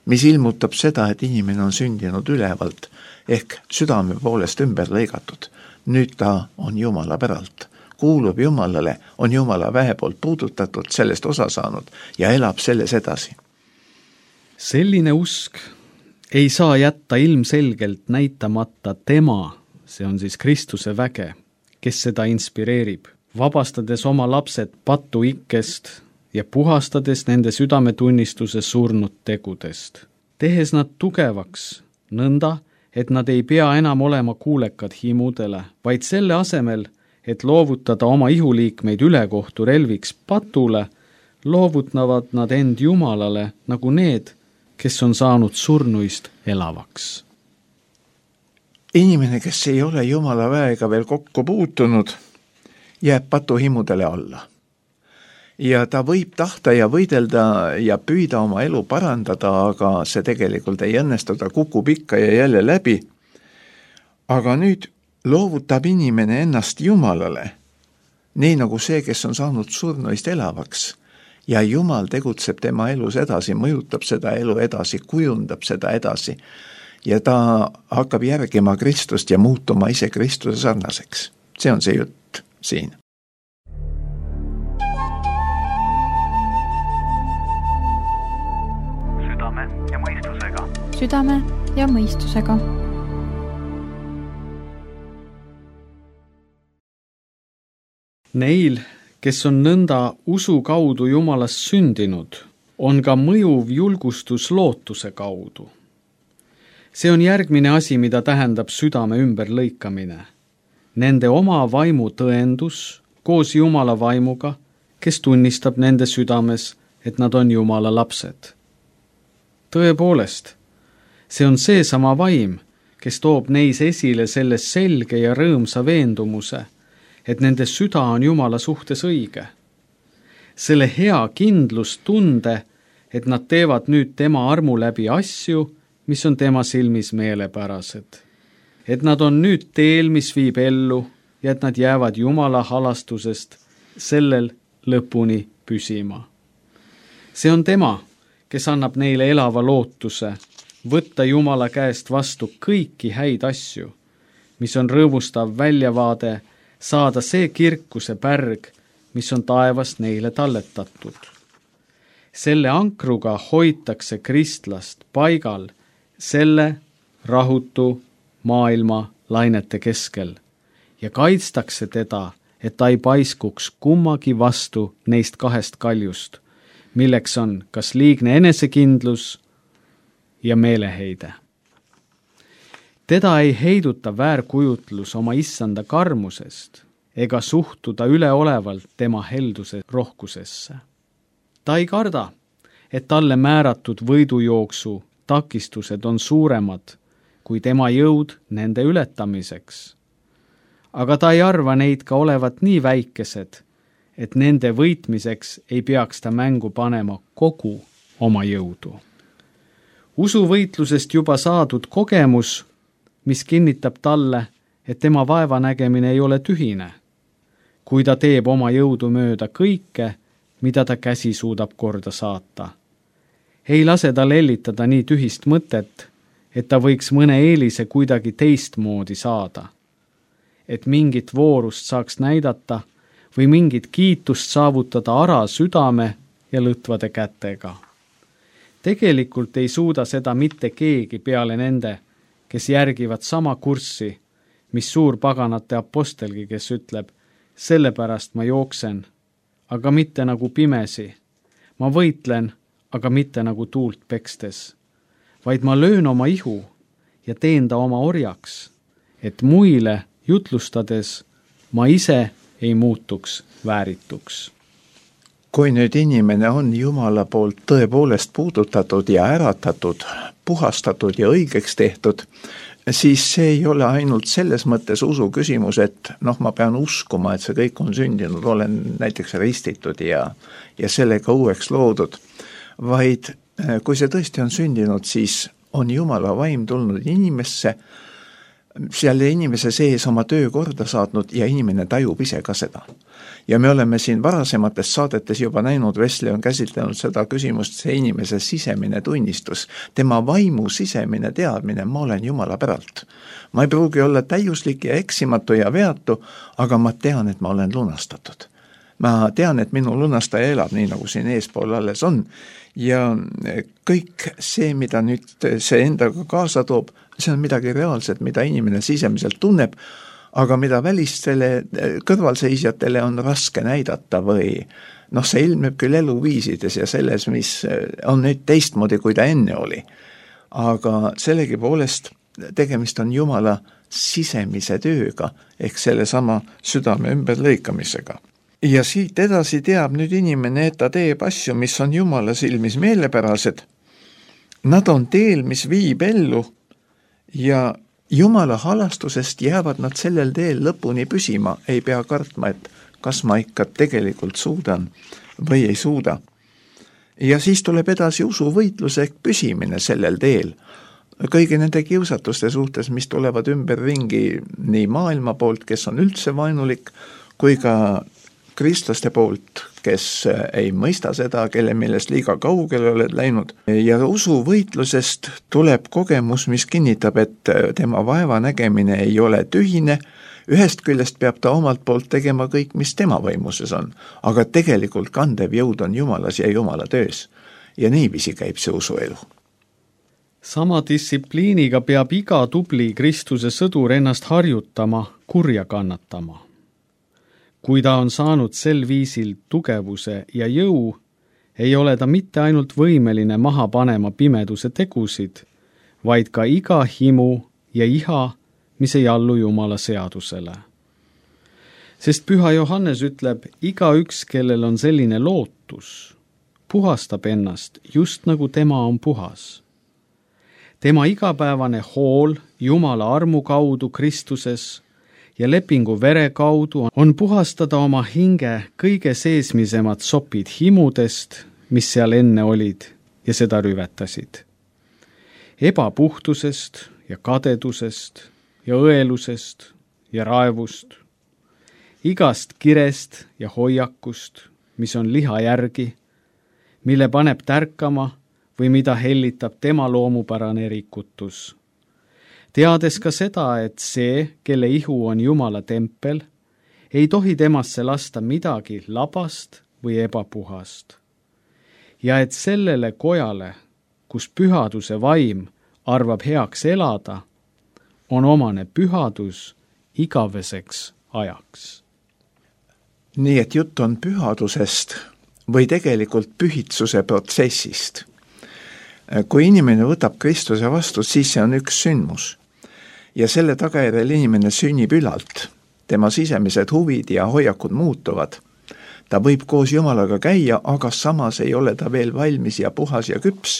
mis ilmutab seda, et inimene on sündinud ülevalt, ehk südame poolest ümber lõigatud. Nüüd ta on Jumala päralt, kuulub Jumalale, on Jumala väe poolt puudutatud, sellest osa saanud ja elab selles edasi. Selline usk ei saa jätta ilmselgelt näitamata tema, see on siis Kristuse väge, kes seda inspireerib, vabastades oma lapsed patu ikkest ja puhastades nende südametunnistuse surnud tegudest, tehes nad tugevaks, nõnda, et nad ei pea enam olema kuulekad himudele, vaid selle asemel, et loovutada oma ihuliikmeid ülekohtu relviks patule, loovutavad nad end Jumalale nagu need, kes on saanud surnuist elavaks. Inimene, kes ei ole Jumala väega veel kokku puutunud, jääb patuhimudele alla. Ja ta võib tahta ja võidelda ja püüda oma elu parandada, aga see tegelikult ei õnnestu, ta kukub ikka ja jälle läbi. Aga nüüd loovutab inimene ennast Jumalale, nii nagu see, kes on saanud surnuist elavaks. Ja Jumal tegutseb tema elus edasi, mõjutab seda elu edasi, kujundab seda edasi. Ja ta hakkab järgima Kristust ja muutuma ise Kristuse sarnaseks. See on see jutt siin. Südame ja mõistusega. Südame ja mõistusega. Neil, kes on nõnda usu kaudu Jumalast sündinud, on ka mõjuv julgustus lootuse kaudu. See on järgmine asi, mida tähendab südame ümberlõikamine. Nende oma vaimu tõendus koos Jumala vaimuga, kes tunnistab nende südames, et nad on Jumala lapsed. Tõepoolest, see on seesama vaim, kes toob neis esile selle selge ja rõõmsa veendumuse, et nende süda on Jumala suhtes õige. Selle hea kindlustunde, et nad teevad nüüd tema armu läbi asju, mis on tema silmis meelepärased. Et nad on nüüd teel, mis viib ellu, ja et nad jäävad Jumala halastusest sellel lõpuni püsima. See on tema, kes annab neile elava lootuse, võtta Jumala käest vastu kõiki häid asju, mis on rõõmustav väljavaade, saada see kirkuse pärg, mis on taevast neile talletatud. Selle ankruga hoitakse kristlast paigal selle rahutu maailma lainete keskel ja kaitstakse teda, et ta ei paiskuks kummagi vastu neist kahest kaljust, milleks on kas liigne enesekindlus ja meeleheide. Teda ei heiduta väärkujutlus oma issanda karmusest ega suhtuda üleolevalt tema helduse rohkusesse. Ta ei karda, et talle määratud võidujooksu takistused on suuremad kui tema jõud nende ületamiseks. Aga ta ei arva neid ka olevat nii väikesed, et nende võitmiseks ei peaks ta mängu panema kogu oma jõudu. Usuvõitlusest juba saadud kogemus, mis kinnitab talle, et tema vaevanägemine ei ole tühine, kui ta teeb oma jõudu mööda kõike, mida ta käsi suudab korda saata. Ei lase tal ellitada nii tühist mõtet, et ta võiks mõne eelise kuidagi teistmoodi saada. Et mingit voorust saaks näidata või mingit kiitust saavutada ara südame ja lõtvade kätega. Tegelikult ei suuda seda mitte keegi peale nende, kes järgivad sama kurssi, mis suurpaganate apostelgi, kes ütleb, sellepärast ma jooksen, aga mitte nagu pimesi. Ma võitlen, aga mitte nagu tuult pekstes, vaid ma löön oma ihu ja teen ta oma orjaks, et muile jutlustades ma ise ei muutuks väärituks. Kui nüüd inimene on Jumala poolt tõepoolest puudutatud ja äratatud, puhastatud ja õigeks tehtud, siis see ei ole ainult selles mõttes usu küsimus, et ma pean uskuma, et see kõik on sündinud, olen näiteks ristitud ja sellega uueks loodud, vaid kui see tõesti on sündinud, siis on Jumala vaim tulnud inimesse, selle inimese sees oma töö korda saatnud ja inimene tajub ise ka seda. Ja me oleme siin varasemates saadetes juba näinud, Wesley on käsitlenud seda küsimust, see inimese sisemine tunnistus, tema vaimu sisemine teadmine, ma olen Jumala päralt. Ma ei pruugi olla täiuslik ja eksimatu ja veatu, aga ma tean, et ma olen lunastatud. Ma tean, et minu lunastaja elab nii, nagu siin eespool alles on. Ja kõik see, mida nüüd see endaga kaasa toob, see on midagi reaalset, mida inimene sisemiselt tunneb, aga mida välistele kõrvalseisjatele on raske näidata või see ilmneb küll eluviisides ja selles, mis on nüüd teistmoodi, kui ta enne oli. Aga sellegipoolest tegemist on Jumala sisemise tööga ehk selle sama südame ümberlõikamisega. Ja siit edasi teab nüüd inimene, et ta teeb asju, mis on Jumala silmis meelepärased. Nad on teel, mis viib ellu ja Jumala halastusest jäävad nad sellel teel lõpuni püsima, ei pea kartma, et kas ma ikka tegelikult suudan või ei suuda. Ja siis tuleb edasi usuvõitluse püsimine sellel teel. Kõigi nende kiusatuste suhtes, mis tulevad ümberringi nii maailma poolt, kes on üldse vaenulik, kui ka kristlaste poolt, kes ei mõista seda, kelle millest liiga kaugele oled läinud. Ja usuvõitlusest tuleb kogemus, mis kinnitab, et tema vaeva nägemine ei ole tühine. Ühest küljest peab ta omalt poolt tegema kõik, mis tema võimuses on, aga tegelikult kandev jõud on Jumalas ja Jumala töös. Ja niiviisi käib see usuelu. Sama distsipliiniga peab iga tubli Kristuse sõdur ennast harjutama, kurja kannatama. Kui ta on saanud sel viisil tugevuse ja jõu, ei ole ta mitte ainult võimeline maha panema pimeduse tegusid, vaid ka iga himu ja iha, mis ei allu Jumala seadusele. Sest Püha Johannes ütleb, igaüks, kellel on selline lootus, puhastab ennast just nagu tema on puhas. Tema igapäevane hool Jumala armu kaudu Kristuses ja lepingu vere kaudu on puhastada oma hinge kõige seesmisemad sopid himudest, mis seal enne olid ja seda rüvetasid. Ebapuhtusest ja kadedusest ja õelusest ja raevust, igast kirest ja hoiakust, mis on liha järgi, mille paneb tärkama või mida hellitab tema loomupärane rikutus. Teades ka seda, et see, kelle ihu on Jumala tempel, ei tohi temasse lasta midagi labast või ebapuhast. Ja et sellele kojale, kus pühaduse vaim arvab heaks elada, on omane pühadus igaveseks ajaks. Nii et jutt on pühadusest või tegelikult pühitsuse protsessist. Kui inimene võtab Kristuse vastu, siis see on üks sündmus. Ja selle tagajärjel inimene sünnib ülalt. Tema sisemised huvid ja hoiakud muutuvad. Ta võib koos Jumalaga käia, aga samas ei ole ta veel valmis ja puhas ja küps,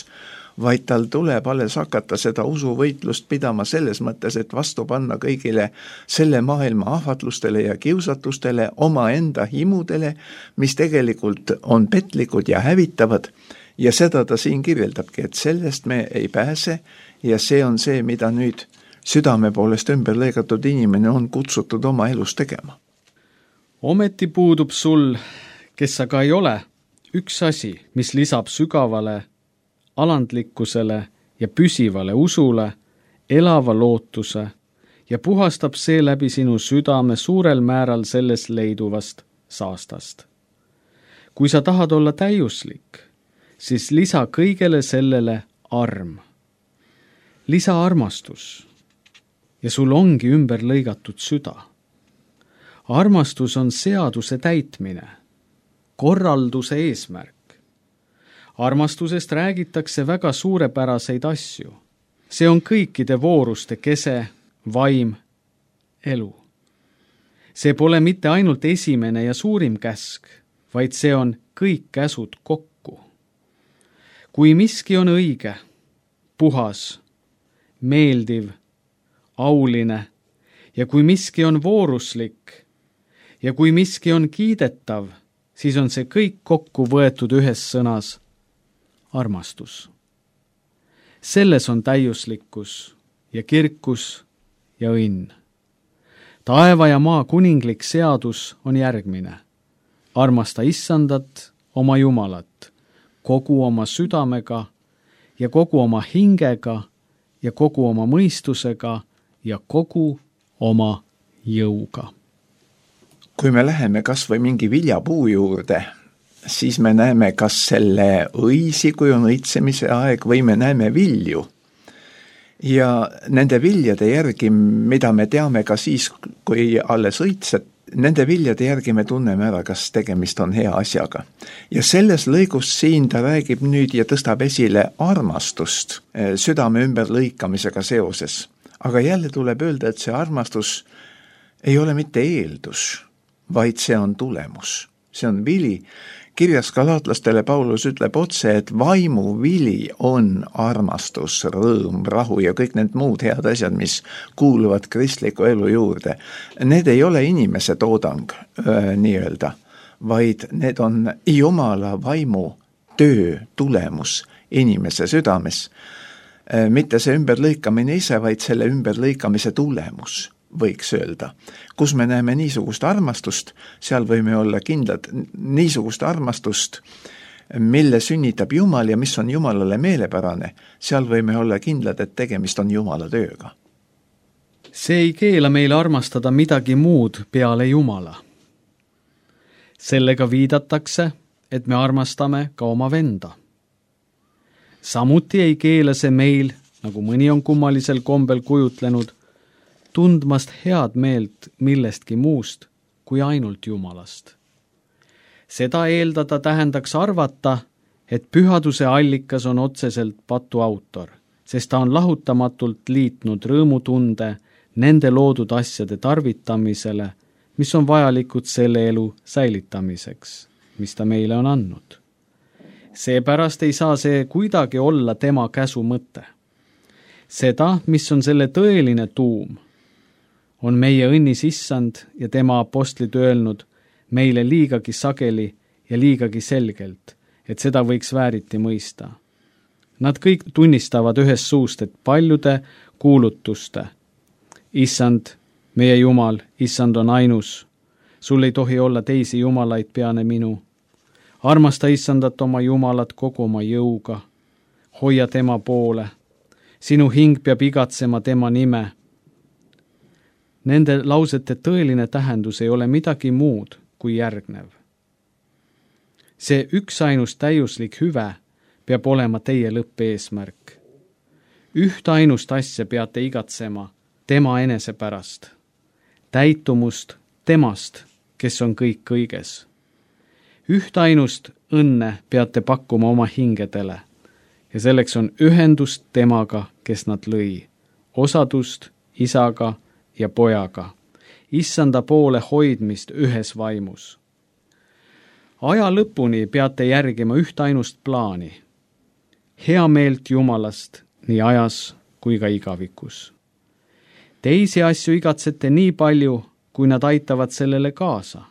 vaid tal tuleb alles hakata seda usuvõitlust pidama selles mõttes, et vastu panna kõigile selle maailma ahvatlustele ja kiusatustele, oma enda himudele, mis tegelikult on petlikud ja hävitavad. Ja seda ta siin kirjeldabki, et sellest me ei pääse ja see on see, mida nüüd südame poolest ümber lõigatud inimene on kutsutud oma elus tegema. Ometi puudub sul, kes sa ka ei ole, üks asi, mis lisab sügavale alandlikkusele ja püsivale usule, elava lootuse ja puhastab seeläbi sinu südame suurel määral sellest leiduvast saastast. Kui sa tahad olla täiuslik, siis lisa kõigele sellele arm. Lisa armastus ja sul ongi ümber lõigatud süda. Armastus on seaduse täitmine, korralduse eesmärk. Armastusest räägitakse väga suurepäraseid asju. See on kõikide vooruste kese, vaim, elu. See pole mitte ainult esimene ja suurim käsk, vaid see on kõik käsud kokku. Kui miski on õige, puhas, meeldiv, auline ja kui miski on vooruslik ja kui miski on kiidetav, siis on see kõik kokku võetud ühes sõnas armastus. Selles on täiuslikkus ja kirkus ja õnn. Taeva ja maa kuninglik seadus on järgmine. Armasta Issandat, oma Jumalat, kogu oma südamega ja kogu oma hingega ja kogu oma mõistusega ja kogu oma jõuga. Kui me läheme kas või mingi viljapuu juurde, siis me näeme kas selle õisi, kui on õitsemise aeg, või me näeme vilju. Ja nende viljade järgi, mida me teame ka siis, kui alles õitsed, nende viljade järgi me tunneme ära, kas tegemist on hea asjaga. Ja selles lõigus siin ta räägib nüüd ja tõstab esile armastust südame ümber lõikamisega seoses. Aga jälle tuleb öelda, et see armastus ei ole mitte eeldus, vaid see on tulemus. see on vili. Kirjas galaatlastele Paulus ütleb otse, et vaimu vili on armastus, rõõm, rahu ja kõik need muud head asjad, mis kuuluvad kristliku elu juurde. Need ei ole inimese toodang nii-öelda, vaid need on Jumala vaimu töö tulemus inimese südames. Mitte see ümberlõikamine ise, vaid selle ümberlõikamise tulemus, võiks öelda. Kus me näeme niisugust armastust, seal võime olla kindlad niisugust armastust, mille sünnitab Jumal ja mis on Jumalale meelepärane, seal võime olla kindlad, et tegemist on Jumala tööga. See ei keela meile armastada midagi muud peale Jumala. Sellega viidatakse, et me armastame ka oma venda. Samuti ei keela see meil, nagu mõni on kummalisel kombel kujutlenud, tundmast head meelt millestki muust kui ainult Jumalast. Seda eeldada tähendaks arvata, et pühaduse allikas on otseselt patu autor, sest ta on lahutamatult liitnud rõõmutunde nende loodud asjade tarvitamisele, mis on vajalikud selle elu säilitamiseks, mis ta meile on andnud. Seepärast ei saa see kuidagi olla tema käsu mõte. Seda, mis on selle tõeline tuum, on meie õnnis issand ja tema apostlid öelnud meile liigagi sageli ja liigagi selgelt, et seda võiks vääriti mõista. Nad kõik tunnistavad ühest suust, et paljude kuulutuste. Issand, meie Jumal, issand on ainus. Sul ei tohi olla teisi jumalaid peane minu. Armasta issandat oma Jumalat kogu oma jõuga. Hoia tema poole. Sinu hing peab igatsema tema nime. Nende lausete tõeline tähendus ei ole midagi muud kui järgnev. See üksainus täiuslik hüve peab olema teie lõppeesmärk. Üht ainust asja peate igatsema tema enese pärast. Täitumust temast, kes on kõik kõiges. Üht ainust õnne peate pakkuma oma hingedele ja selleks on ühendust temaga, kes nad lõi. Osadust isaga ja pojaga, issanda poole hoidmist ühes vaimus. Aja lõpuni peate järgima üht ainust plaani, hea meelt Jumalast nii ajas kui ka igavikus. Teisi asju igatsete nii palju, kui nad aitavad sellele kaasa.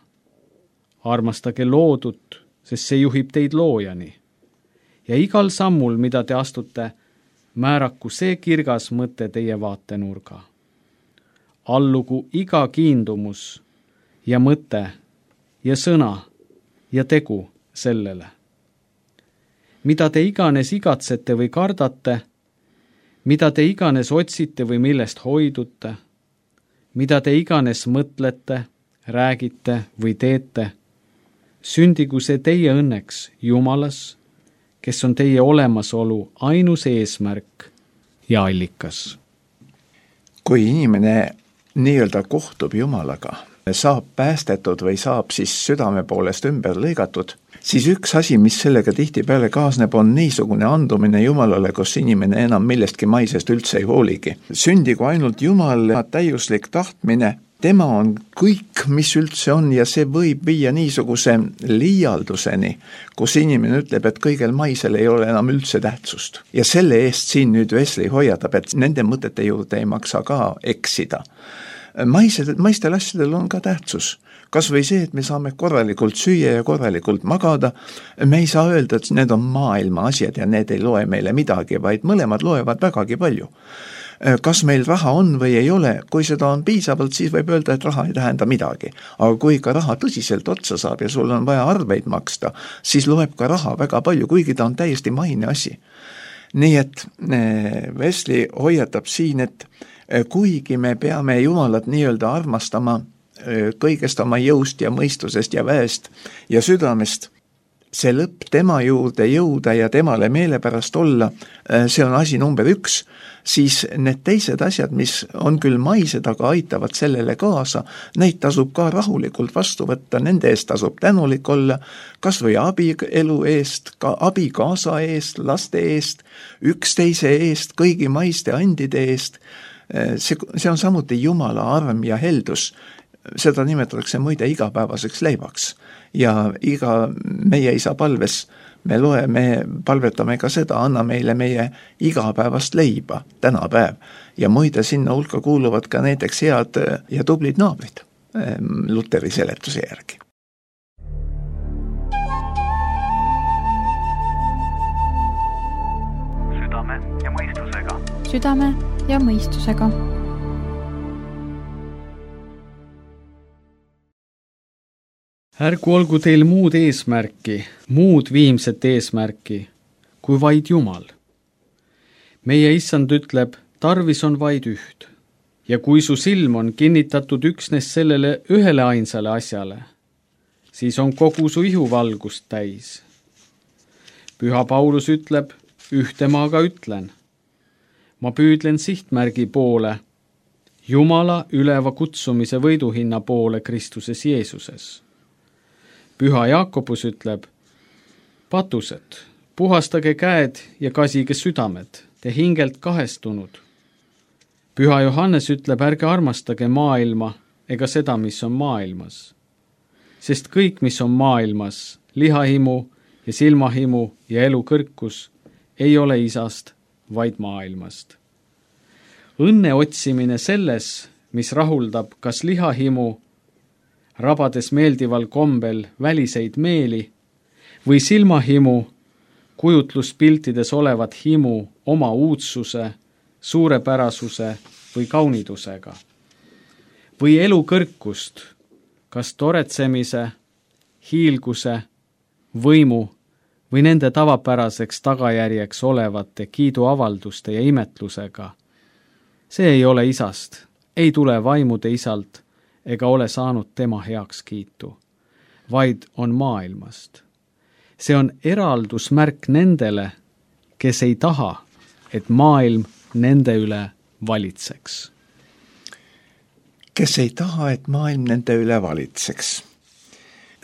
Armastage loodut, sest see juhib teid loojani. Ja igal sammul, mida te astute, määraku see kirgas mõte teie vaatenurga. Allugu iga kiindumus ja mõte ja sõna ja tegu sellele. Mida te iganes igatsete või kardate, mida te iganes otsite või millest hoidute, mida te iganes mõtlete, räägite või teete, sündigu see teie õnneks Jumalas, kes on teie olemasolu ainus eesmärk ja allikas. Kui inimene nii-öelda kohtub Jumalaga, saab päästetud või saab siis südame poolest ümber lõigatud, siis üks asi, mis sellega tihtipeale kaasneb, on niisugune andumine Jumalale, kus inimene enam millestki maisest üldse ei hooligi. Sündigu ainult Jumal, täiuslik tahtmine, tema on kõik, mis üldse on ja see võib viia niisuguse liialduseni, kus inimene ütleb, et kõigel maisel ei ole enam üldse tähtsust. Ja selle eest siin nüüd Wesley hoiatab, et nende mõtete juurde ei maksa ka eksida. Maistel asjadel on ka tähtsus. Kas või see, et me saame korralikult süüa ja korralikult magada, me ei saa öelda, et need on maailma asjad ja need ei loe meile midagi, vaid mõlemad loevad vägagi palju. Kas meil raha on või ei ole, kui seda on piisavalt, siis võib öelda, et raha ei tähenda midagi. Aga kui ka raha tõsiselt otsa saab ja sul on vaja arveid maksta, siis loeb ka raha väga palju, kuigi ta on täiesti maine asi. Nii et Wesley hoiatab siin, et kuigi me peame Jumalat nii-öelda armastama kõigest oma jõust ja mõistusest ja väest ja südamest, see lõpp tema juurde jõuda ja temale meelepärast olla, see on asi number 1, siis need teised asjad, mis on küll maised, aga aitavad sellele kaasa, neid tasub ka rahulikult vastu võtta, nende eest tasub tänulik olla, kas või abielu eest, ka abikaasa eest, laste eest, üksteise eest, kõigi maiste andide eest. See on samuti Jumala arm ja heldus. seda nimetatakse muide igapäevaseks leivaks. Ja iga meie isa palves me palvetame ka seda, anna meile meie igapäevast leiba, tänapäev. Ja muide sinna hulka kuuluvad ka näiteks head ja tublid naabrid Luteri seletuse järgi. Südame ja mõistusega. Südame ja mõistusega. Ärgu olgu teil muud eesmärki, muud viimset eesmärki, kui vaid Jumal. Meie issand ütleb, tarvis on vaid üht. Ja kui su silm on kinnitatud üksnes sellele ühele ainsale asjale, siis on kogu su ihu valgust täis. Püha Paulus ütleb, ühte ma aga ütlen. Ma püüdlen sihtmärgi poole, Jumala üleva kutsumise võiduhinna poole Kristuses Jeesuses. Püha Jaakobus ütleb, patused, puhastage käed ja kasige südamed, te hingelt kahestunud. Püha Johannes ütleb, ärge armastage maailma ega seda, mis on maailmas. Sest kõik, mis on maailmas, lihahimu ja silmahimu ja elu kõrkus, ei ole isast, vaid maailmast. Õnne otsimine selles, mis rahuldab kas lihahimu, rabades meeldival kombel väliseid meeli, või silmahimu, kujutluspiltides olevat himu oma uudsuse, suurepärasuse või kaunidusega. Või elu kõrkust, kas toretsemise, hiilguse, võimu või nende tavapäraseks tagajärjeks olevate kiiduavalduste ja imetlusega. See ei ole isast, ei tule vaimude isalt ega ole saanud tema heakskiitu, vaid on maailmast. See on eraldusmärk nendele, kes ei taha, et maailm nende üle valitseks. Kes ei taha, et maailm nende üle valitseks.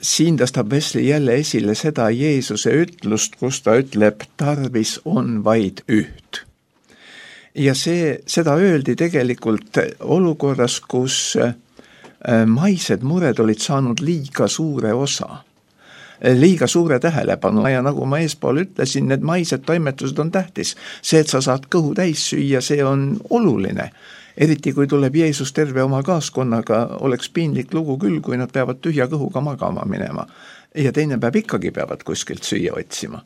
Siin tõstab Wesley jälle esile seda Jeesuse ütlust, kus ta ütleb, tarvis on vaid üht. Ja seda öeldi tegelikult olukorras, kus maised mured olid saanud liiga suure osa, liiga suure tähelepanu ja nagu ma eespool ütlesin, need maised toimetused on tähtis. See, et sa saad kõhu täis süüa, see on oluline. Eriti kui tuleb Jeesus terve oma kaaskonnaga, oleks piinlik lugu küll, kui nad peavad tühja kõhuga magama minema. Ja teine päev ikkagi peavad kuskilt süüa otsima.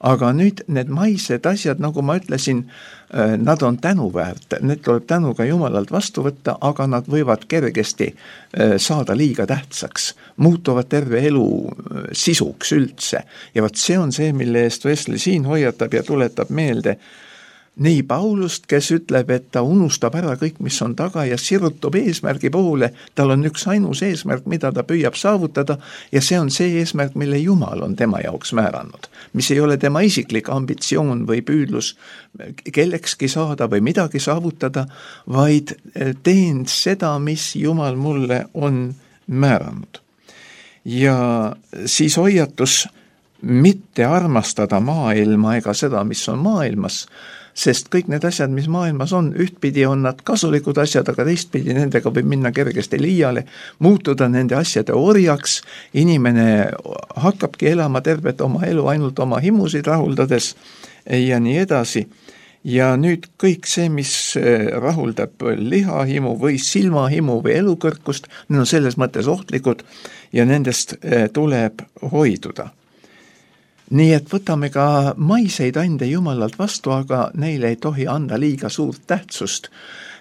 Aga nüüd need maised asjad, nagu ma ütlesin, nad on tänuväärt, need tuleb tänuga Jumalalt vastu võtta, aga nad võivad kergesti saada liiga tähtsaks, muutuvad terve elu sisuks üldse. Ja vaat see on see, mille eest Wesley siin hoiatab ja tuletab meelde nii Paulust, kes ütleb, et ta unustab ära kõik, mis on taga ja sirutub eesmärgi poole. Tal on üks ainus eesmärk, mida ta püüab saavutada ja see on see eesmärk, mille Jumal on tema jaoks määranud. Mis ei ole tema isiklik ambitsioon või püüdlus kellekski saada või midagi saavutada, vaid teen seda, mis Jumal mulle on määranud. Ja siis hoiatus mitte armastada maailma ega seda, mis on maailmas, sest kõik need asjad, mis maailmas on, ühtpidi on nad kasulikud asjad, aga teistpidi nendega võib minna kergesti liiale, muutuda nende asjade orjaks, inimene hakkabki elama tervet oma elu ainult oma himusid rahuldades ja nii edasi. Ja nüüd kõik see, mis rahuldab lihahimu või silmahimu või elukõrkust, need on selles mõttes ohtlikud ja nendest tuleb hoiduda. Nii et võtame ka maiseid ande Jumalalt vastu, aga neile ei tohi anda liiga suurt tähtsust.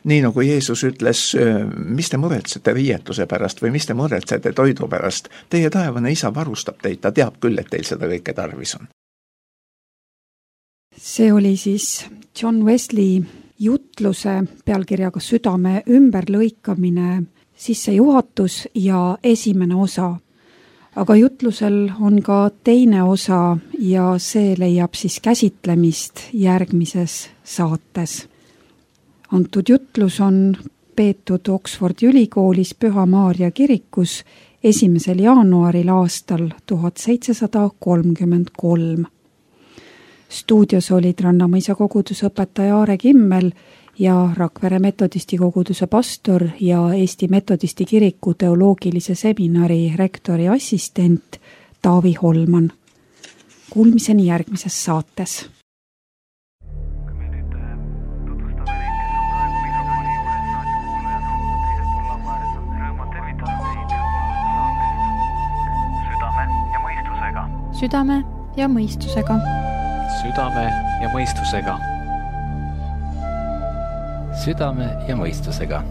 Nii nagu Jeesus ütles, mis te muretsete riietuse pärast või mis te muretsete toidu pärast. Teie taevane isa varustab teid, ta teab küll, et teil seda kõike tarvis on. See oli siis John Wesley jutluse pealkirjaga Südame ümberlõikamine, sissejuhatus ja esimene osa. Aga jutlusel on ka teine osa ja see leiab siis käsitlemist järgmises saates. Antud jutlus on peetud Oxfordi ülikoolis Püha Maarja kirikus 1. jaanuaril aastal 1733. Stuudios olid Rannamõisa kogudusõpetaja Aare Kimmel ja Rakvere metodisti koguduse pastor ja Eesti Metodisti Kiriku teoloogilise seminari rektori assistent Taavi Holman. Kuulmiseni järgmises saates. Südame ja mõistusega. Südame ja mõistusega. Südame ja mõistusega.